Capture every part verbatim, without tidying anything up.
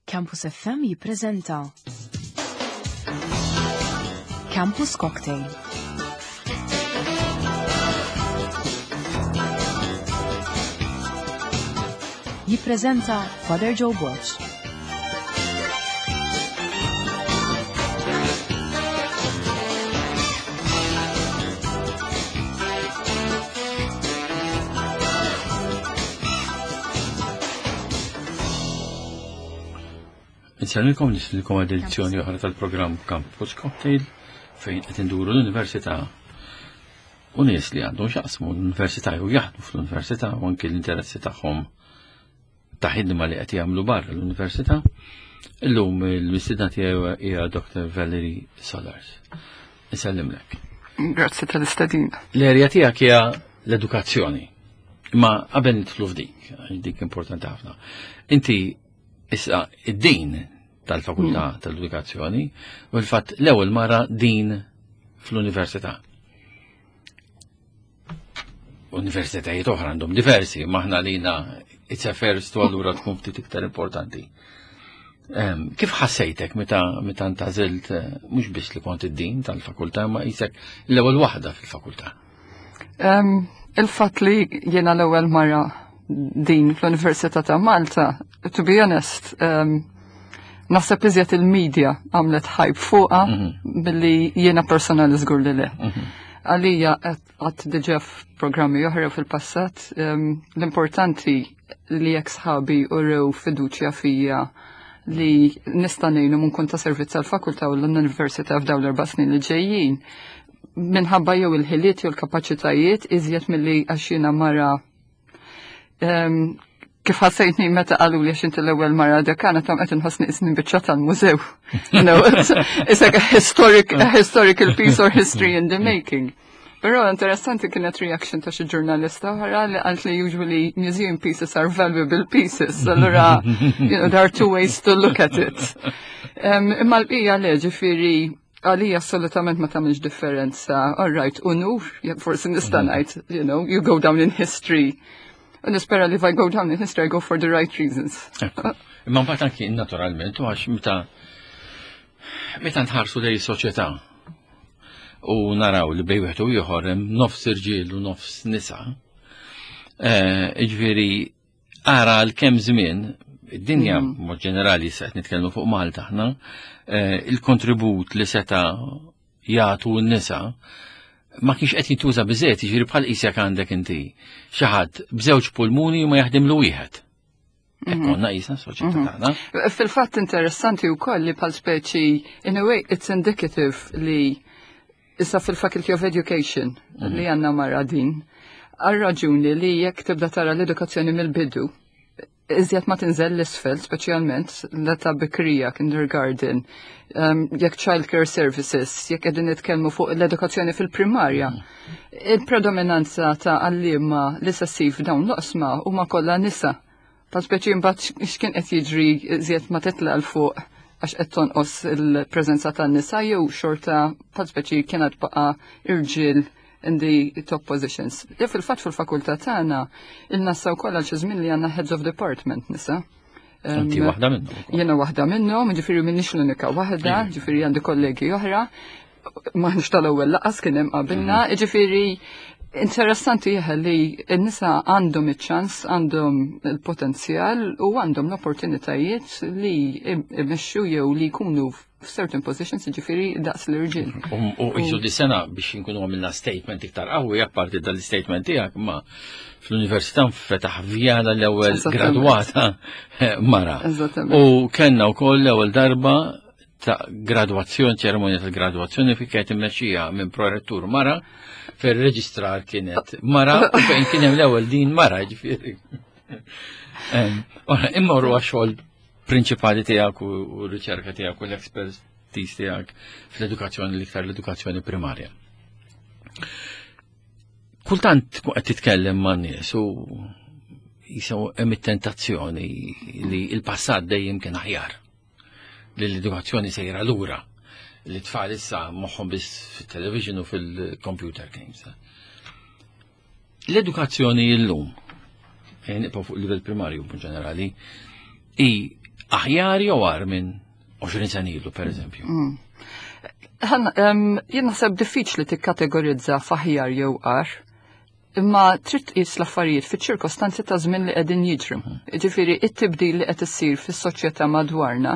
Campus F M jippreżenta Campus Cocktail. Jippreżenta Father Joe Borg. Insellmilkom, nistedinkom għal edizzjoni oħra tal-programm Campus Cocktail, fejn qed induru l-università u nies li għandhom x'jaqsmu l-università jew jaħdmu fl-università u anki l-interessi tagħhom ta' ħidma li qed jagħmlu barra l-università. Illum il-mistiedna tiegħi hija Doctor Valerie Solars. Insellimlek. Grazzi tal-istedina. L-erja tiegħek hija l-edukazzjoni. Imma qabel nidħlu f'dik, għax dik importanti ħafna. Inti issa id-dean tal-Fakultà mm. tal-Edukazzjoni u l-fatt l-ewwel mara dean fl-università. Universitajiet oħra għandhom diversi, ma aħna lina it's a first u allura tkun ftit iktar importanti. Kif ħassejtek meta meta ntgħażilt, eh, mhux biss li kont id-dean tal-fakultà, ma qisek l-ewwel waħda fil-fakultà? Il-fatt li jiena l-ewwel mara dean fl-Università ta' Malta, to be honest, um, naħseb iżjed il-media għamlet hype fuqha mhm. billi jiena personali żgur li le. Mhm. Għalija għedt diġà f'programmi oħra fil-passat, um, l-importanti li jekk sħabi urew fiduċja fija li nista' ngħinu nkun ta' servizz għall-fakultà u l-università f'dawn l-erba' snin li ġejjin minħabba jew il-ħiliet jew l-kapaċitajiet iżjed milli għax jiena mara. Kif ħassejtni meta qalu li għax inti l-ewwel mara dekana, tam qed inħossni qisni biċċa tal-mużew. You know, it's, it's like a historic, a historical piece or history in the making. Però interessanti kienet reaction ta' xi ġurnalista oħra li qalt li usually museum pieces are valuable pieces. Allura, you know, there are two ways to look at it. Um, imma l-bqija le, ġifieri għalija assolutament ma tagħmilx differenza. All right, unur, forsi nista' ngħid, you know, you go down in history. U nispera li if I go down in history, I go for the right reasons. Imma mbagħad anki naturalment, u għax meta meta nħarsu lejn soċjetà u naraw li bejn wieħed u ieħor hemm nofs irġiel u nofs nisa. Eh, ġifieri ara l kemm żmien id-dinja mm. mod ġenerali, se qed nitkellmu fuq Malta aħna, eh, il-kontribut li seta jagħtu n-nisa ma kienx qed jintuża biżejjed, jiġifieri bħal qisek għandek inti xi ħadd b'żewġ pulmuni u ma jaħdimlu wieħed. Hekk mhm. konna qisna soċjetà mhm. tagħna. Fil-fatt interessanti wkoll li bħal speċi, in a way it's indicative li issa fil-Faculty of Education mhm. li għandna mara dean. Għal raġuni li jekk tibda tara l-edukazzjoni mill-bidu, iżjed ma tinżel l-isfel, speċjalment l-età bikrija, kindergarten, um, jekk child care services, jekk qegħdin nitkellmu fuq l-edukazzjoni fil-primarja. Il-predominanza ta' għalliema li sessif dawn l-oqsma huma kollha nisa. Ta' speċi mbagħad x'kien qed jiġri iżjed ma titla' 'l fuq, għax qed tonqos il-preżenza tan-nisa jew xorta ta' speċi kienet baqa' irġiel in the top positions. Ja, fil-fatt fil-fakultà tagħna il-nassa wkoll għal xi żmien li għandna heads of department nisa. Inti waħda minnhom. Jiena waħda minnhom, ġifieri m'iniex l-unika waħda, ġifieri għandi kollegi oħra. M'aħniex tal-ewwel, lanqas kien hemm qabilna, mhm. ġifieri interessanti jeħel li n-nisa għandhom iċ-ċans, għandhom il-potenzjal u għandhom l-opportunitajiet li imexxu jew li jkunu f'certain positions, ġifieri daqs l-irġiel. U jiġu di sena biex nkunu għamilna statement iktar qawwi, apparti dal-statement tiegħek, ma fl-università fetaħ vjala l-ewwel gradwata mara. U kellna wkoll l-ewwel darba ta' gradwazzjoni, ċeremonja tal-gradwazzjoni fi kienet immexxija minn prorettur mara, fil-reġistrar kienet mara, u fejn kien hemm l-ewwel dean mara, ġifieri. Imma huwa xogħol prinċipali tiegħek u r-riċerka tiegħek u l-expertise tiegħek fl-edukazzjoni, l-iktar l-edukazzjoni primarja. Kultant qed titkellem ma' nies u jisaw hemm it-tentazzjoni li l-passat dejjem kien aħjar, li l-edukazzjoni sejra lura, li tfal issa moħħhom biss fit-television u fil-computer games. L-edukazzjoni illum, nibqgħu fuq livell primarju ġenerali, i Aħjar jew agħar minn għoxrin sena ilu, per eżempju? Mm. Jien naħseb diffiċli tikkategorizza f'aħjar jew agħar, imma trid tqis l-affarijiet fiċ-ċirkostanzi ta' żmien li qegħdin jiġru. Ġifieri it-tibdil li qed issir fis-soċjetà madwarna,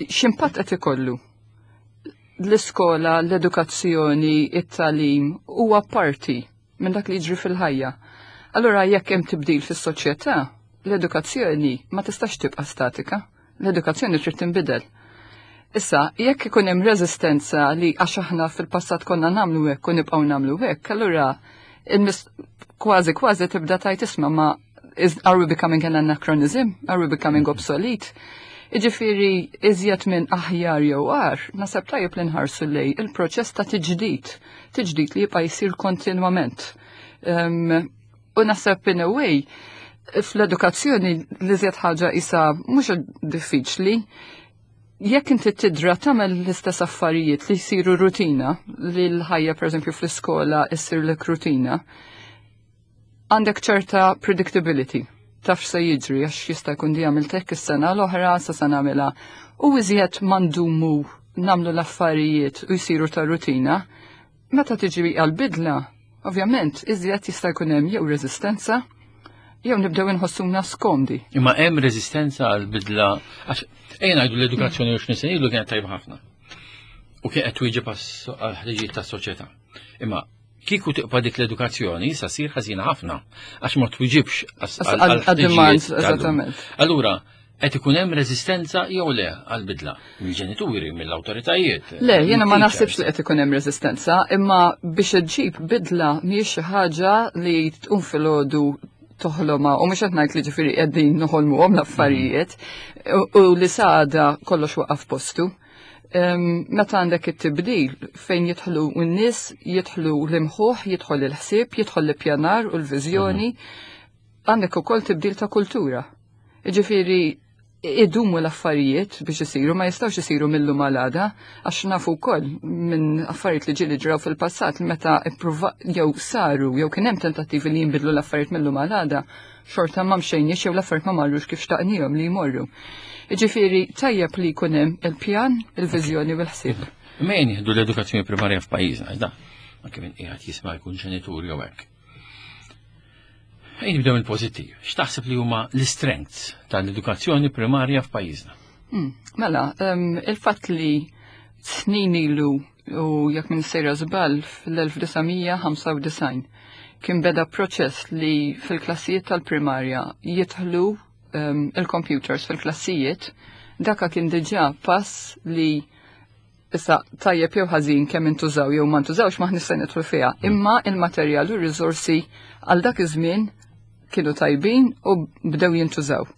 x'impatt qed ikollu? L-iskola, l-edukazzjoni, it-tagħlim huwa parti minn dak li jiġri fil-ħajja. Allura jekk hemm tibdil fis-soċjetà, l-edukazzjoni ma tistax tibqa' statika, l-edukazzjoni trid tinbidel. Issa, jekk ikun hemm reżistenza li għax aħna fil-passat konna nagħmlu hekk u nibqgħu nagħmlu hekk, allura kważi kważi tibda tgħid, isma', ma is, are we becoming an anachronism? Are we becoming obsolete? Iġifieri iżjed minn aħjar jew agħar, naħseb tajjeb li nħarsu lejn il-proċess ta' tiġdid, tiġdid li jibqa' jsir kontinwament. Um, u naħseb in a way, fl-edukazzjoni li iżjed ħaġa isa mhux diffiċli, jekk inti tidra tagħmel l-istess affarijiet li jsiru rutina, li l-ħajja pereżempju fl-iskola issirlek rutina, għandek ċerta predictability. Taf se jiġri għax jista' jkun di għamilt hekk is-sena l-oħra sa se nagħmilha. U iżjed ma ndumu nagħmlu l-affarijiet u jsiru ta' rutina, meta tiġi għal-bidla, ovvjament iżjed jista' jkun hemm jew reżistenza, jew nibdew inħossuna skomdi. Imma hemm reżistenza għal-bidla, għax ejja ngħidu l-edukazzjoni għoxrin sena ilu kienet tajba ħafna. U kien qed twieġeb għall-ħtiġijiet tas-soċjetà. Imma kieku tibqa' dik l-edukazzjoni sa ssir ħażina ħafna għax ma twiġibx għad-demands, eżattament. Allura, qed ikun hemm reżistenza jew le għall-bidla mill-ġenituri, mill-awtoritajiet? Le, jiena ma naħsibx li qed ikun hemm reżistenza, imma biex iġġib bidla mhijiex xi ħaġa li tqum filgħodu toħloma, u mhux qed ngħid li ġifieri qegħdin noħolmuhom l-affarijiet u li sada kollox waqaf postu. Meta għandek it-tibdil fejn jidħlu n-nies, jidħlu l-imħuħ, jidħol il-ħsieb, jidħol l-pjanar u l-viżjoni, għandek ukoll tibdil ta' kultura. Ġifieri idumu l-affarijiet biex isiru, ma jistgħux isiru mill-lum għal għada, għax nafu wkoll minn affarijiet li ġieli ġraw fil-passat li meta ippruva jew saru jew kien hemm tentattivi li jinbidlu l-affarijiet mill-lum għal għada, xorta ma mxejniex jew l-affarijiet ma marrux kif xtaqnihom li jmorru. Ġifieri tajjeb li jkun hemm il-pjan, il-viżjoni u l-ħsieb. Mejn jieħdu l-edukazzjoni primarja f'pajjiżna, da, anke minn qiegħed jisma' jkun ġenitur jew hekk. Ejn nibdew il-pożittiv. X'taħseb li huma l-strengths tal-edukazzjoni primarja f'pajjiżna? Hmm, mela, il-fatt li snin ilu u jekk minn sejra żball fl-elf disa' mija ħamsa u disgħin kien beda proċess li fil-klassijiet tal-primarja jidħlu il-computers fil-klassijiet, daka kien diġà pass li issa tajjeb jew ħażin kemm intużaw jew ma ntużawx ma nista' nidħlu fiha. Imma il-materjal u r-riżorsi għal dak iż-żmien kienu tajbin u bdew jintużaw.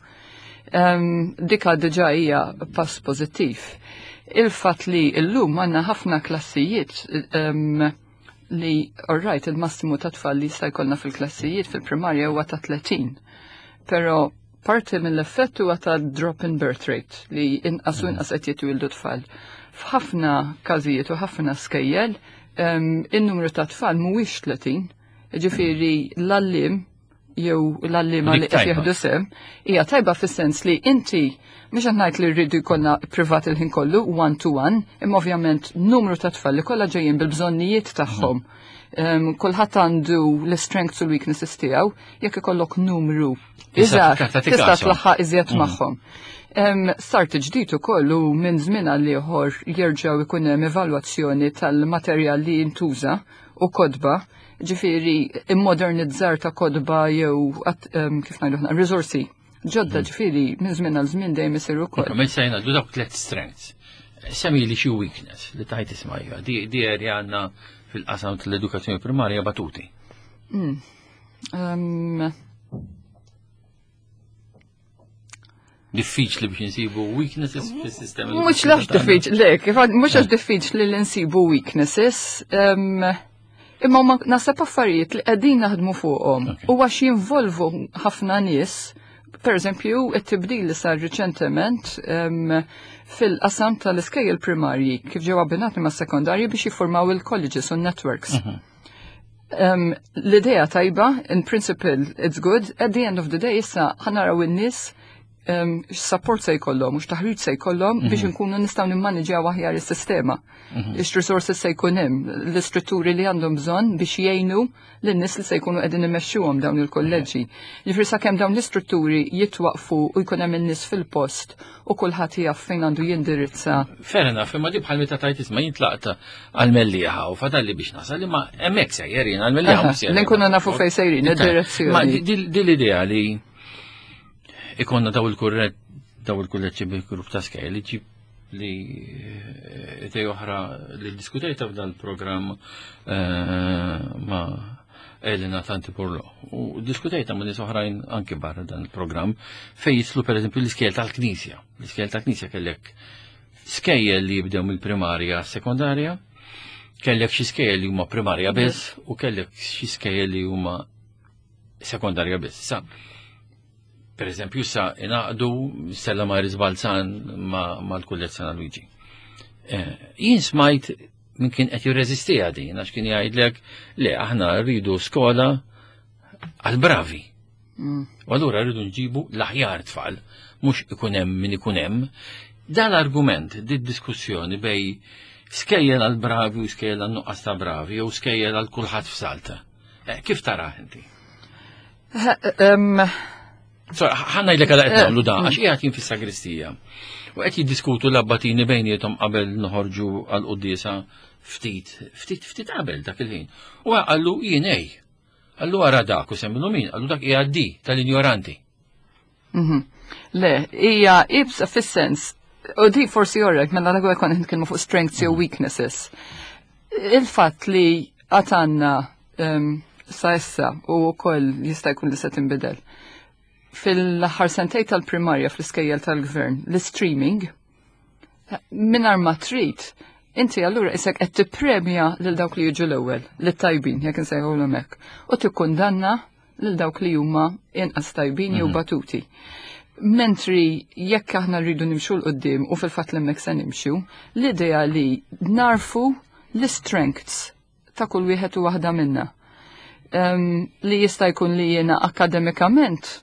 Dika diġà hija pass pożittiv. Il-fatt li llum għandna ħafna klassijiet li, all right, il-massimu ta' tfal li jista' jkollna fil-klassijiet fil-primarja huwa ta' tletin. Però parti mill-effett huwa ta' drop in birth rate li inqas u inqas qed jitwildu tfal. F'ħafna każijiet u ħafna skejjel, in-numru ta' tfal mhuwiex tletin. Ġifieri l-għalliem jew l-għalliema li qed jieħdu sehem hija tajba fis-sens li inti mhux qed ngħid li rridu jkollna privat il-ħin kollu one to one, imma ovvjament numru ta' tfal li kollha ġejjin bil-bżonnijiet tagħhom. Kulħadd għandu l-strengths u l-weaknesses tiegħu, jekk ikollok numru iżgħar tista' tlaħħaq iżjed magħhom. Start ġdid ukoll u minn żmien għal ieħor jerġgħu jkun hemm evalwazzjoni tal-materjal li jintuża u kodba, ġifieri immodernizzar ta' kodba jew kif ngħidu aħna riżorsi ġodda, ġifieri minn żmien għal żmien dejjem isir ukoll. Minn sejna ngħidu dawk tliet strengths. Semmi li xi weakness li tajt isma' di, di area għandna fil-qasam tal-edukazzjoni primarja batuti. Mm. Um, Diffiċli biex insibu weaknesses fis-sistema. Mhux lax diffiċli, le, kif għad, mhux għax diffiċli li nsibu weaknesses, um, imma huma naħseb affarijiet li qegħdin naħdmu fuqhom Okay. u għax jinvolvu ħafna nies, per eżempju, it-tibdil li sar riċentement, um, fil-qasam tal-iskejjel primarji kif ġew abbinati ma' sekondarji biex jiffurmaw il-colleges u networks. Mhm. Um, l-idea tajba, in principle it's good, at the end of the day issa ħa naraw in-nies um, support se jkollhom u x'taħriġ se jkollhom biex inkunu nistgħu nimmaniġjaw aħjar is-sistema. X-resources se jkun hemm, l-istrutturi li għandhom bżonn biex jgħinu lin-nies li se jkunu qegħdin imexxuhom dawn il-kolleġġi. Jiġifieri sakemm dawn l-istrutturi jitwaqfu u jkun hemm in-nies fil-post u kulħadd jaf fejn għandu jindirizza. Fair enough, imma di bħal meta tajt isma' jintlaqt għal-Mellieħa u fadalli biex nasal, imma hemmhekk sejjer jien għal-Mellieħa Aha, mhux sejjer. li nkunu nafu fejn sejrin, id-direzzjoni. Ma di- di di l-idea li ikonna daw il-kurret daw il-kulleġġi bil-grupp ta' skejjel li ġib li eh, idea oħra li diskutejta f'dan il-programm eh, ma' Elena Tanti Porlo. U diskutejta ma' nies oħrajn anki barra dan il-programm fej jislu per eżempju l-iskejjel tal-Knisja. L-iskejjel tal-Knisja kellek skejjel li jibdew mill-primarja sekondarja, kellek xi skejjel li huma primarja biss u kellek xi skejjel li huma sekondarja biss. Sa, per eżempju, sa ingħaqdu Stella Maris Balzan ma' mal-Kulleġġ San Luigi. Eh, Jien smajt min kien qed jirreżistiha din għax kien jgħidlek le, aħna rridu skola għal-bravi. Mm. U allura rridu nġibu l-aħjar tfal, mhux ikun hemm min ikun hemm. Dan l-argument, di diskussjoni bejn skejjel għal bravi u skejjel għal nuqqas ta' bravi, jew skejjel għal kulħadd f'salta. Eh, Kif tara inti? Um, So, ħa ngħidlek għala qed nagħmlu da, għax qiegħed jien fis-sagristija. U qed jiddiskutu l-abbatini bejniethom qabel noħorġu għal quddiesa ftit, ftit, ftit qabel dak il-ħin. U qallu jien ej. Qallu ara dak u semmilu min, qallu dak hija di tal-injoranti. mhm. Le, hija ibsa fis-sens, u di forsi jorrek, mela l kont nitkellmu fuq strengths jew weaknesses. Il-fatt li għatanna um, sa issa u wkoll jista' jkun li se tinbidel. Fil-aħħar sentej tal-primarja fl-iskejjel tal-gvern, l-streaming, mingħajr ma trid, inti allura isek qed tippremja lil dawk li jiġu l-ewwel, lit-tajbin, jekk insejħulhom hekk, u tikkundanna lil dawk li huma inqas tajbin jew batuti. Mentri jekk aħna rridu nimxu 'l quddiem u fil-fatt l-hemmhekk se nimxu, l-idea li narfu l-strengths ta' kull wieħed u waħda minna. Um, li jista' jkun li jiena akademikament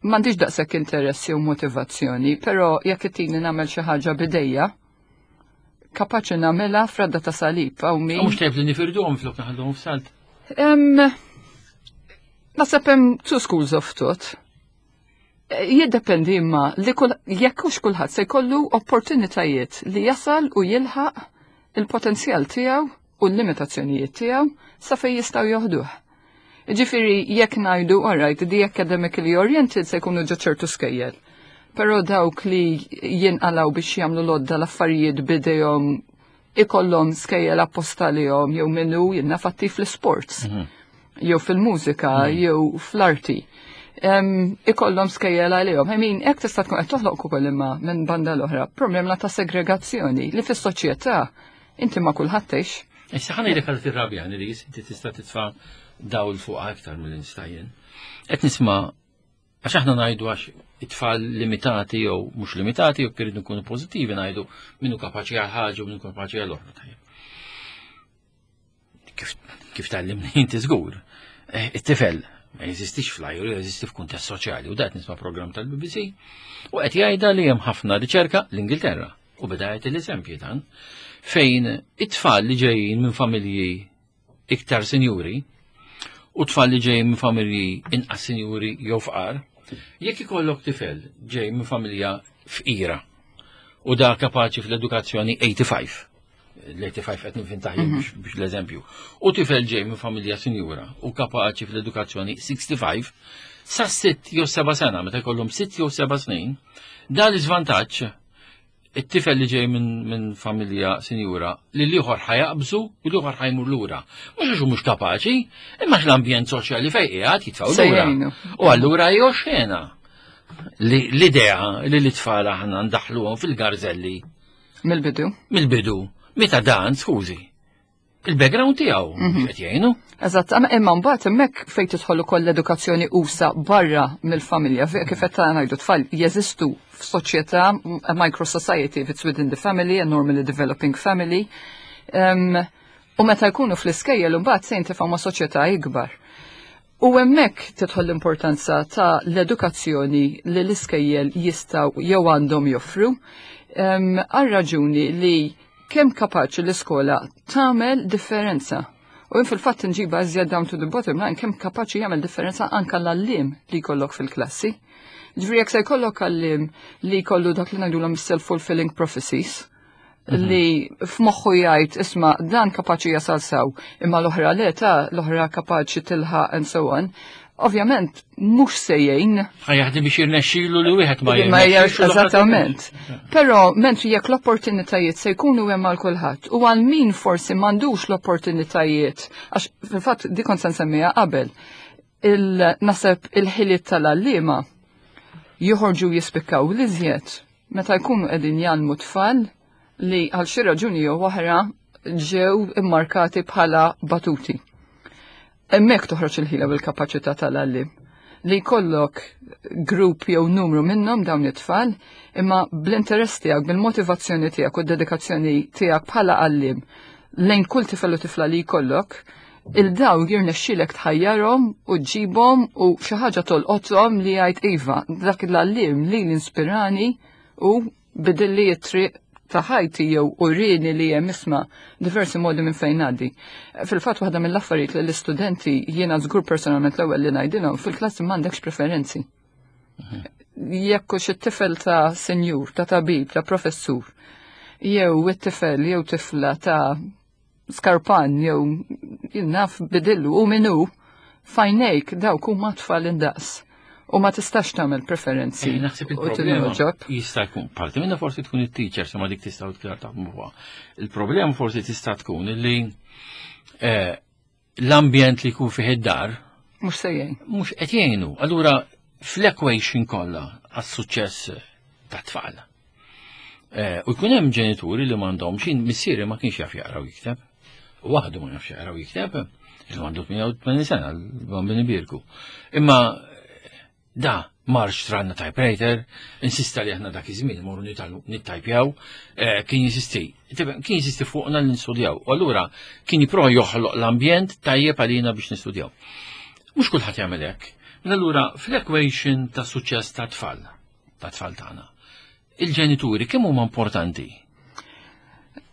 m'għandix daqshekk interess jew motivazzjoni, però jekk ittini nagħmel xi ħaġa b'idejja, kapaċi nagħmilha f'radda ta' salib għaw min. Mhux tajb li nifirduhom flok naħalluhom f'salt. Em, Naħseb hemm two schools of thought. Eh, Jiddependi imma li kull jekk hux kulħadd se jkollu opportunitajiet li jasal u jilħaq il-potenzjal tiegħu u l-limitazzjonijiet tiegħu sa fejn jistgħu joħduh. Ġifieri jekk ngħidu, alright, the academically oriented se jkunu ġo ċertu skejjel. Però dawk li jinqalaw biex jagħmlu lodda l-affarijiet b'idejhom ikollhom skejjel apposta lihom jew minnu jinnafatti fl-sports jew fil-mużika jew fl-arti. Um, ikollhom skejjel għalihom. I mean, hekk tista' tkun qed toħloq ukoll imma minn banda l-oħra problema ta' segregazzjoni li fis-soċjetà inti ma kulħadd tgħix. Issa ħa ngħidlek għal tirrabjani li inti tista' titfa' dawl fuq aktar mill-instajjen. Qed nisma' għax aħna ngħidu għax it-tfal limitati jew mhux limitati jew irridu nkunu pożittivi ngħidu minnu kapaċi għal ħaġa u minnu kapaċi għal oħra tajjeb. Kif kif tgħallimni inti żgur. Eh, It-tifel ma jeżistix flajru, jeżisti f'kuntest soċjali u dat nisma' program tal-B B C u qed jgħidha li hemm ħafna riċerka l-Ingilterra u beda jagħti l-eżempji dan fejn it-tfal li ġejjin minn familji iktar sinjuri u tfal li ġejjin minn familji inqas sinjuri jew fqar, jekk ikollok tifel ġej minn familja fqira u da kapaċi fl-edukazzjoni tminja u tmenin, l-tminja u ħamsin qed ninvintaħ biex biex l-eżempju, u tifel ġej minn familja sinjura u kapaċi fl-edukazzjoni ħamsa u sittin, sa sitt jew seba' sena, meta jkollhom sitt jew seba' snin, dan l-iżvantaġġ it-tifel li ġej minn min familja sinjura li l-ieħor ħa jaqbżu u l-ieħor ħa jmur lura. Mhux għax hu mhux kapaċi, imma l-ambjent soċjali fejn qiegħed jitfgħu Se lura. jgħinu. U allura jew xena li l-idea li l-tfal aħna ndaħluhom fil-garzelli Mill-bidu. mill-bidu, meta dan, skużi, il-background tiegħu mhux qed jgħinu. Eżatt, amma imma mbagħad hemmhekk fejn tidħol ukoll l-edukazzjoni usa barra mill-familja, fe- kif qed ngħidu tfal jeżistu f'soċjetà, a micro society if it's within the family, a normally developing family. Um, u meta jkunu fl-iskejjel imbagħad se jintifgħu ma' soċjetà ikbar. U hemmhekk tidħol l-importanza ta' l-edukazzjoni li l-iskejjel jistgħu jew għandhom joffru, għal raġuni li kemm kapaċi l-iskola tagħmel differenza. U jien fil-fatt nġiba iżjed down to the bottom line, kemm kapaċi jagħmel differenza anka l-għalliem li jkollok fil-klassi. Ġifieri jekk se jkollok għalliem li jkollu dak li ngħidulhom self-fulfilling prophecies, li f'moħħu jgħid, "Isma', dan kapaċi jasal sew, imma l-oħra le, ta' l-oħra kapaċi tilħaq," and so on. Ovvjament mhux se jgħin. Ħa jaħdem biex jirnexxilu li wieħed ma Ma jirnexxilu l-oħra. Eżattament. Però mentri jekk l-opportunitajiet se jkunu hemm għal kulħadd u għal min forsi m'għandux l-opportunitajiet, għax fil-fatt di kont se nsemmiha qabel, il-naseb il-ħiliet tal-għalliema joħorġu jispikkaw l-iżjed meta jkunu qegħdin jgħallmu tfal li għal xi raġuni jew oħra ġew immarkati bħala batuti. Hemmhekk toħroġ il-ħila bil-kapaċità tal-għalliem li jkollok grupp jew numru minnhom dawn it-tfal, imma bl-interess tiegħek, bil-motivazzjoni tiegħek u d-dedikazzjoni tiegħek bħala għalliem lejn kull tifel u tifla li jkollok, il-daw jirnexxilek tħajjarhom u ġibhom u xi ħaġa tolqothom li jgħid, "Iva, dak l-għalliem li l-inspirani u bidilli t-triq ta' ħajti jew urini li hemm, isma', diversi modi minn fejn ngħaddi." Fil-fatt waħda mill-affarijiet li l-istudenti jiena żgur personalment l-ewwel li ngħidilhom fil-klassi, m'għandekx preferenzi. Jekk hux it-tifel ta' senjur, ta' tabib, ta' professur, jew it-tifel jew tifla ta' skarpan jew naf bidillu u minu fajnejk, dawk huma tfal indaqs. U ma tistax tagħmel preferenzi. Eh, Naħseb u il-problema tilħoġob. Jista' jkun parti minna forsi tkun it-teacher, ma dik tista' tkun taħdmu fuqha. Il-problema forsi tista' tkun li eh, l-ambjent li jkun fih id-dar Mhux se jgħin. Mhux qed jgħinu. Allura fl-equation kollha għas-suċċess ta' tfal. Eh, U jkun hemm ġenituri li m'għandhomx, jien missieri ma kienx jaf jaqra u jikteb. U waħdu ma jafx jaqra u jikteb. Illum għandu tmienja u tmenin sena, l-bambini birku. Imma da mar xtralna typewriter, insista li aħna dak iż-żmien morru nitgħallmu nittajpjaw, eh, kien jinsisti, kien jinsisti fuqna li nistudjaw. U allura kien jipprova joħloq l-ambjent tajjeb għalina biex nistudjaw. Mhux kulħadd jagħmel hekk. Mela allura fl-equation ta' suċċess ta' tfal, ta' tfal tagħna, il-ġenituri kemm huma importanti?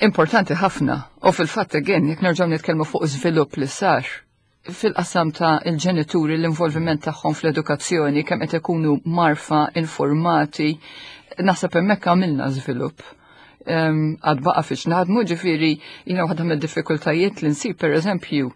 Importanti ħafna. U fil-fatt again, jekk nerġgħu nitkellmu fuq żvilupp li sar fil-qasam ta' il-ġenituri, l-involviment tagħhom fl-edukazzjoni, kemm qed ikunu mgħarrfa, informati, naħseb hemmhekk għamilna żvilupp. Em, Għad baqa fiex naħdmu, ġifieri, jiena waħda mid-diffikultajiet li nsib, per eżempju,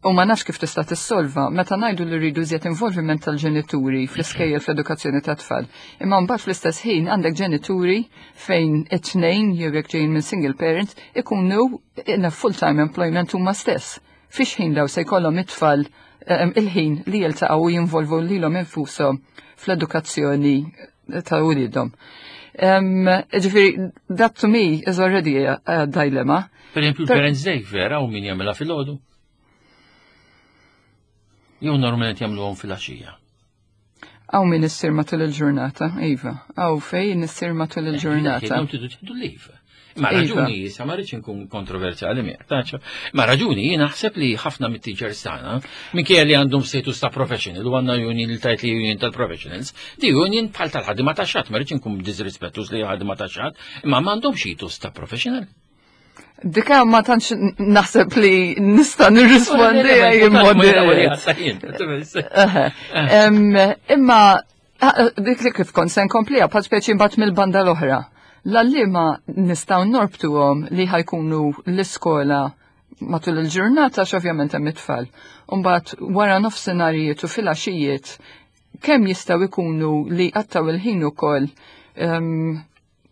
u ma nafx kif tista' tissolva, meta ngħidu li rridu iżjed involviment tal-ġenituri fl-iskejjel, fl-edukazzjoni tat-tfal. Imma mbagħad fl-istess ħin għandek ġenituri fejn it-tnejn jew jekk ġejjin minn single parent ikunu in a full-time employment huma stess. Fiex ħin daw se jkollhom it-tfal em, il-ħin li jiltaqgħu u jinvolvu lilhom infushom fl-edukazzjoni ta' wliedhom? Um, ġifieri, that to me is already a, a dilemma. Per eżempju, Per- il-Parents Day vera u min jagħmilha fil-għodu? Jew normalment jagħmluhom fil-għaxija? Hawn min issir matul il-ġurnata, iva. Hawn fejn issir matul il-ġurnata. Dawn tridu tieħdu leave. Ma Iva. raġuni, sa ma rridx inkun kontroversjali miegħek, taċ. Ma raġuni jien naħseb li ħafna mit-teachers tagħna, minkejja li għandhom status ta' professional u għandna union li tajt li union tal-professionals, di union bħal tal-ħaddiema tax-xatt, ma rridx inkun disrispettus li ħaddiema tax-xatt, imma m'għandhomx status ta' professional. Dika ma tantx naħseb li nista' nirrispondi jien mod. Eħe. Em, Imma ah, dik li kif kont se nkompliha, bħal speċi mbagħad mill-banda l-oħra. L-għalliema nistgħu norbtuhom li ħa jkunu l-iskola matul il-ġurnata x'ovvjament hemm it-tfal. Mbagħad wara nofsinharijiet u filgħaxijiet kemm jistgħu jkunu li qattaw il-ħin ukoll em,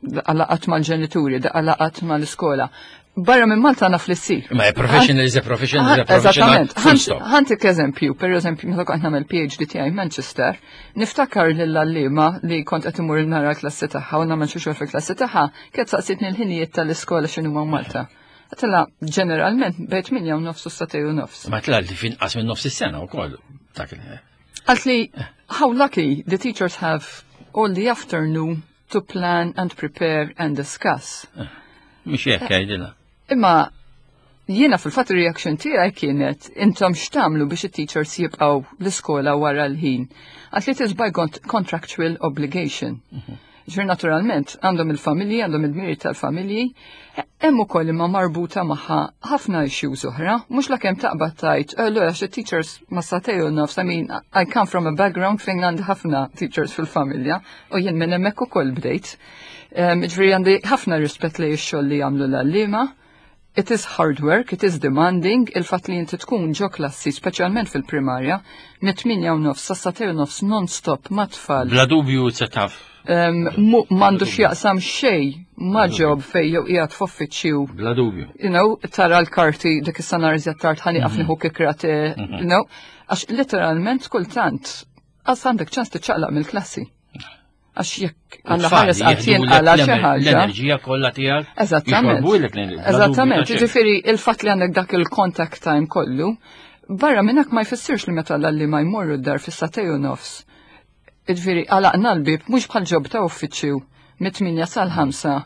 laqgħat mal-ġenituri, laqgħat mal-iskola. Barra minn Malta naf li ssir. Ma professional is a professional is a professional. Eżattament. Full stop. Ħa ntik eżempju, per eżempju, meta kont nagħmel P H D tiegħi Manchester, niftakar lill-għalliema li kont qed imur nara l-klassi tagħha u nagħmel xi xogħol fil-klassi tagħha, kienet saqsitni l-ħinijiet tal-iskola x'inhuma Malta. Għedtilha ġeneralment bejn tmienja u nofs u s-sagħtejn u nofs. Ma tla li finqas minn nofs is-sena wkoll. Dak il- Qaltli, "How lucky the teachers have all the afternoon to plan and prepare and discuss." Mhix hekk jgħidilha. Imma Jiena fil-fatt reaction tiegħi kienet intom x'tagħmlu biex it-teachers jibqgħu l-iskola wara l-ħin. Għax it is by contractual obligation. Ġifieri naturalment għandhom il-familji, għandhom il-miri tal-familji, hemm ukoll imma marbuta magħha ħafna issues oħra, mhux la kemm taqbad tgħid, "Oh, għax it-teachers ma sagħtejn u nofs, I mean, I come from a background fejn għandi ħafna teachers fil-familja u jien minn hemmhekk ukoll bdejt. Ġifieri għandi ħafna rispett li x-xogħol li jagħmlu l-għalliema. It is hard work, it is demanding, il-fatt li inti tkun ġo klassi, speċjalment fil-primarja, mit-tmienja u nofs, sa sagħtejn u nofs non-stop ma' tfal. Bla dubju se taf. M'għandu x'jaqsam xejn ma' job fejn jew qiegħed f'uffiċċju. Bla dubju. You know, tara l-karti dik is-sena iżjed tard ħa nieqaf nieħu kikrate, you know, għax literalment kultant għas għandek ċans tiċċaqlaq mill-klassi. Għax jekk Alla ħares qatt jinqala xi ħaġa. L-enerġija kollha tiegħek. Eżattament. Eżattament, ġifieri il-fatt li għandek dak il-contact time kollu, barra minnak ma jfissirx li meta l-għalliema jmorru d-dar fis-sagħtejn u nofs. Ġifieri għalaqna l-bib mhux bħal job ta' uffiċċju mit-tmienja sal-ħamsa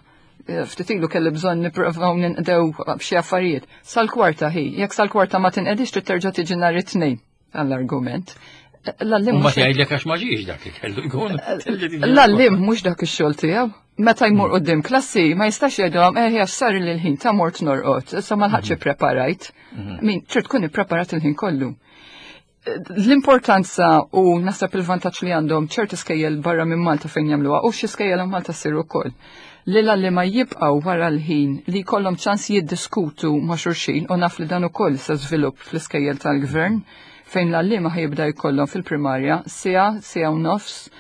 ftit ilu kelli bżonn nipprovaw ninqdew b'xi affarijiet. Sal-kwarta hi, jekk sal-kwarta ma tinqedix trid terġa' tiġi nhar it-tnejn għall-argument. L-għalliem Ma jgħidlek għax ma ġiex dak li kellu jkun. L-għalliem mhux dak ix-xogħol tiegħu. Meta jmur quddiem klassi ma jistax jgħidhom eh għax sar il-ħin ta' mort norqod, issa ma lħaqtx ippreparajt. Min trid tkun ippreparat il-ħin kollu. L-importanza u naħseb il-vantaġġ li għandhom ċerti skejjel barra minn Malta fejn jagħmluha u xi skejjel Malta ssir ukoll. Li l-għalliema jibqgħu wara l-ħin li jkollhom ċans jiddiskutu ma' xulxin u naf li dan ukoll se żvilupp fl-iskejjel tal-gvern fejn l-għalliema ħa jibda jkollhom fil-primarja siegħa, siegħa u nofs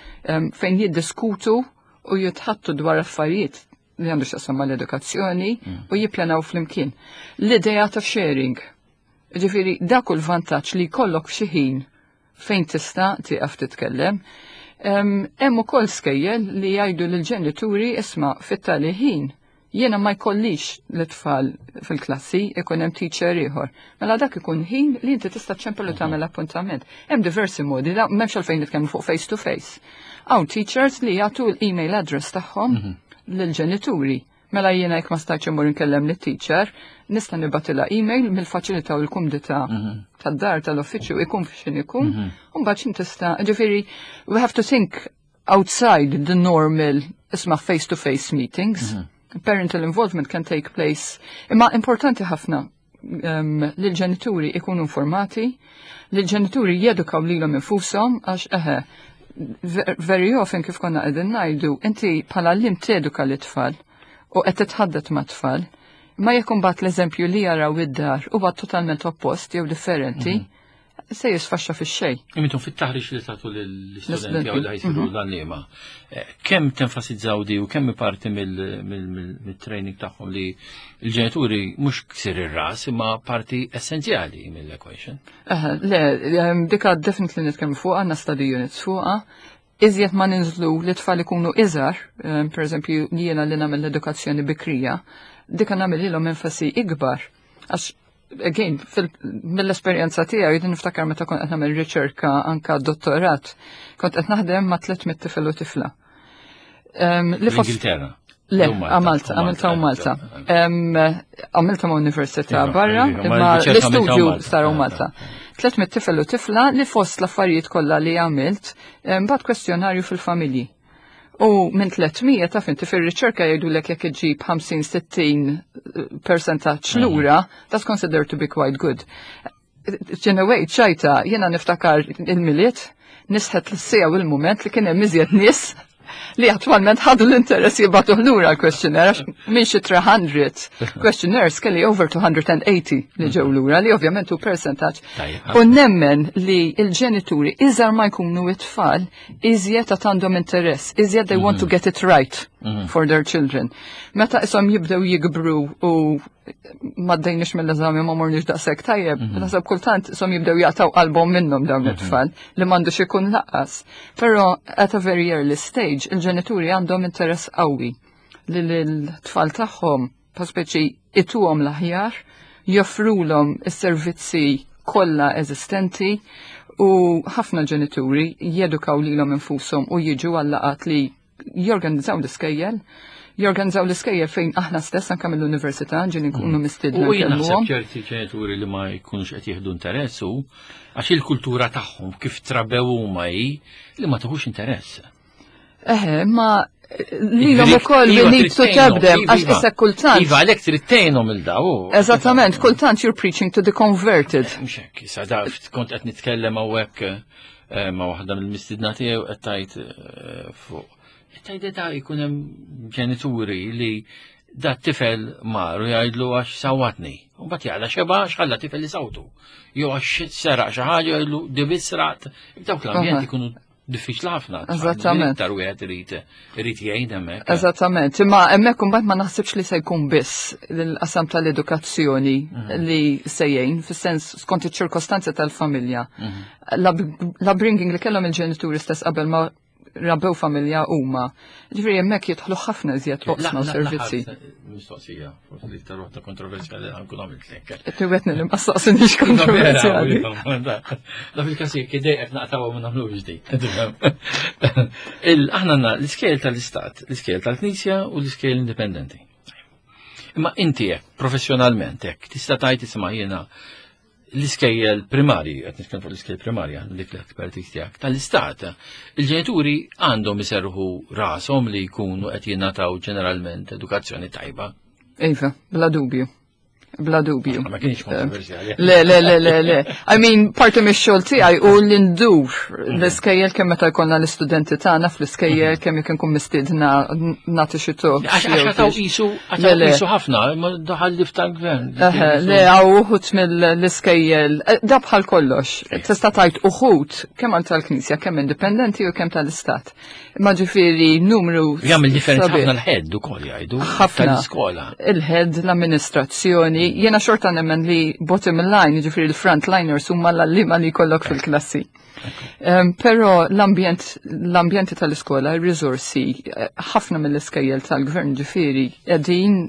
fejn jiddiskutu u jitħaddtu dwar affarijiet li għandu x'jaqsam mal-edukazzjoni u jippjanaw flimkien. L-idea ta' sharing. Ġifieri, dak u l-vantaġġ li jkollok xi ħin fejn tista' tieqaf titkellem. Hemm ukoll skejjel li jgħidu lill-ġenituri isma' fit-tali ħin jiena ma jkollix l-tfal fil-klassi ikun hemm teacher ieħor. Mela dak ikun ħin li inti tista' ċempel u tagħmel appuntament. Hemm diversi modi, da m'hemmx għalfejn nitkellmu fuq face to face. Hawn teachers li jagħtu l-email address tagħhom lill-ġenituri. Mela jiena jekk ma stajtx immur inkellem lit-teacher, nista' nibgħatilha email mill-faċilità u l-kumdità tad-dar tal-uffiċċju ikun f'xin ikun, u mbagħad tista' ġifieri we have to think outside the normal isma' face-to-face meetings. Parental involvement can take place. Imma importanti ħafna um, li l-ġenituri ikunu informati, li l-ġenituri jedukaw lilhom infushom għax eħe, very often kif konna qegħdin ngħidu, inti bħala għalliem teduka l-tfal u qed titħaddet ma' tfal, ma jekk imbagħad l-eżempju li jaraw id-dar huwa totalment oppost jew differenti, se jisfaxxa fix-xejn. Intom fit-taħriġ li tagħtu lill-istudenti jew li ħa jsiru l-għalliema, kemm tenfasizzaw di u kemm parti mill-training tagħhom li l-ġenituri mhux ksir ir-ras imma parti essenzjali mill-equation? Le, dika definitely nitkellmu fuqha, għandna study units fuqha. Iżjed ma ninżlu li tfal ikunu iżgħar, per eżempju jiena li nagħmel l-edukazzjoni bikrija, dika nagħmel ilhom enfasi ikbar. Għax again, mill-esperjenza tiegħi jien niftakar meta kont qed nagħmel riċerka anka dottorat, kont qed naħdem ma' tliet mitt tifel u tifla. L-Ingilterra. Le, għamilta, għamilta u Malta. Għamilta ma' università barra, imma l-istudju sar u Malta. Tliet mitt tifel u tifla li fost l-affarijiet kollha li għamilt, bgħatt kwestjonarju fil-familji. U minn tliet mija taf inti fir-riċerka jgħidulek jekk iġib ħamsin sittin percentaġġ lura, that's considered to be quite good. In a way, ċajta, jiena niftakar il-Milied, nisħet l-siegħa u l-moment li kien hemm iżjed nies li attualment ħadu l-interess jibagħtu lura l-questionnaire, għax minn xi tliet mija questionnaires kelli over two hundred eighty li ġew lura, li ovvjament hu percentaġġ. U nemmen li il-ġenituri iżgħar ma jkunu it-tfal, iżjed għad għandhom interess, iżjed they want to get it right for their children. Meta isom jibdew jikbru u ma għaddejniex mill-eżami, ma morniex daqshekk tajjeb, naħseb kultant isom jibdew jaqtgħu qalbhom minnhom dawn it-tfal li m'għandux ikun lanqas. Però at a very early stage il-ġenituri għandhom interess qawwi li l-tfal tagħhom pa speċi ituhom l-aħjar, joffrulhom is-servizzi kollha eżistenti u ħafna ġenituri jedukaw lilhom infushom u jiġu għal-laqgħat li Jorganizzaw l-iskejjel, jorganizzaw l-iskejjel fejn aħna stess anke mill-università ġieli nkunu mistiedna U jien naħseb nkellmuhom. ċerti ġenituri li ma jkunux qed jieħdu interess u għax il-kultura tagħhom kif trabew huma hi li ma tieħux interess. Eħe, ma lilhom ukoll we Iva, need to trid tap them, tgħinhom, għax iva. issa kultant. Iva, għalhekk trid tgħinhom il daw. Eżattament, kultant you're preaching to the converted. Mhux hekk, issa da kont qed nitkellem hawnhekk eh, ma' waħda mill-mistidna tiegħu qed tgħid eh, fuq. Qed tgħid da jkun hemm ġenituri li da tifel mar u jgħidlu għax sawatni. U mbagħad jaqla xeba x'ħalla tifel li sawtu. Jew għax seraq xi ħaġa jgħidlu di sraqt. Dawk l-ambjent Aha. ikunu diffiċli ħafna. Eżattament. Iktar wieħed irid irid jgħin hemmhekk. Eżattament, imma hemmhekk imbagħad ma naħsibx li se jkun biss l-qasam tal-edukazzjoni li se jgħin, fis-sens skont iċ-ċirkostanzi tal-familja. L-upbringing li kellhom il-ġenituri stess qabel ma rabbew familja huma. Ġifieri hemmhekk jidħlu ħafna iżjed oqsma u servizzi. Mistoqsija, forsi li iktar waħda kontroversjali ħa nkun għamiltlek. Tiwetni li ma staqsinix kontroversjali. Da fil-kas jekk idejqek naqtawa ma nagħmlux di. Aħna għandna l-iskejjel tal-Istat, l-iskejjel tal-Knisja u l-iskejjel indipendenti. Imma inti hekk, professjonalment hekk, tista' tgħid isma' jiena l-iskejjel primarji, qed nitkellem fuq l-iskejjel primarja, dik l-expertise tiegħek, tal-istat, il-ġenituri għandhom iserħu rashom li jkunu qed jingħataw ġeneralment edukazzjoni tajba. Iva, bla dubju. Bla dubju. Ma kienx kontroversjali. Le, le, le, le, le. I mean, parti mix-xogħol tiegħi u li ndur l-iskejjel kemm meta jkollna l-istudenti tagħna fl-iskejjel kemm jekk nkun mistiedna nagħti xi talk. Għax għax għataw qisu, Le, għataw le. qisu ħafna, ma daħal li tal-gvern. Eħe, le, għaw uħut mill-iskejjel, eh, da bħal kollox, tista' tgħid uħut kemm għal tal-Knisja, kemm indipendenti u kemm tal-Istat. Ma ġifieri numru Jagħmel differenza sabiħ. ħafna l-head ukoll jgħidu. Ħafna. Tal-iskola. Il-head, l-amministrazzjoni, jiena xorta nemmen li bottom line, ġifieri l-frontliners huma l-għalliema li jkollok fil-klassi. Um, Pero l-ambjent, l-ambjenti tal-iskola, il-risorsi, eh, ħafna mill-iskejjel tal-gvern ġifieri qegħdin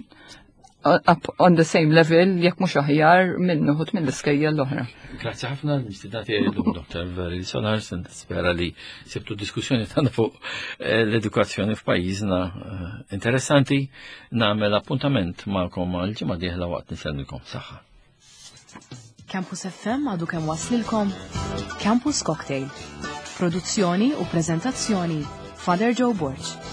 up on the same level, jekk mhux aħjar minn uħud mill-iskejjel l-oħra. Grazzi ħafna l-mistidna tiegħi llum Dr. Valerie Solars, nispera li sibtu diskussjoni tagħna fuq eh, l-edukazzjoni f'pajjiżna eh, interessanti. Nagħmel appuntament magħkom għal ġimgħa dieħla waqt nisellmilkom saħħa. Campus FM għadu kemm waslilkom Campus Cocktail. Produzzjoni u prezentazzjoni Father Joe Borg.